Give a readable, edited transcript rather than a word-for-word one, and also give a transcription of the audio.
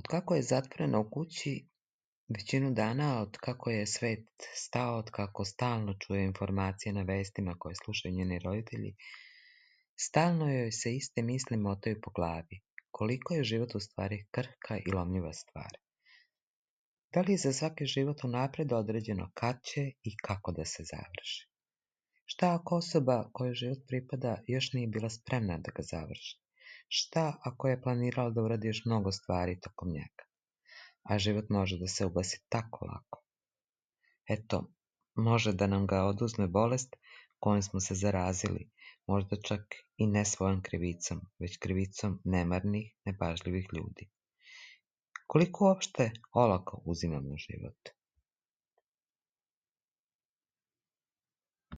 Otkako je zatvorena u kući većinu dana, otkako je svet stao, otkako stalno čuje informacije na vestima koje slušaju njeni roditelji, stalno joj se iste misli motaju po glavi. Koliko je život u stvari krhka i lomljiva stvar. Da li je za svaki život unapred određeno kad će i kako da se završi? Šta ako osoba kojoj život pripada još nije bila spremna da ga završi? Šta ako je planirala da uradi još mnogo stvari tokom njega? A život može da se ugasi tako lako. Eto, može da nam ga oduzme bolest kojom smo se zarazili, možda čak i ne svojom krivicom, već krivicom nemarnih, nepažljivih ljudi. Koliko uopšte olako uzimamo život?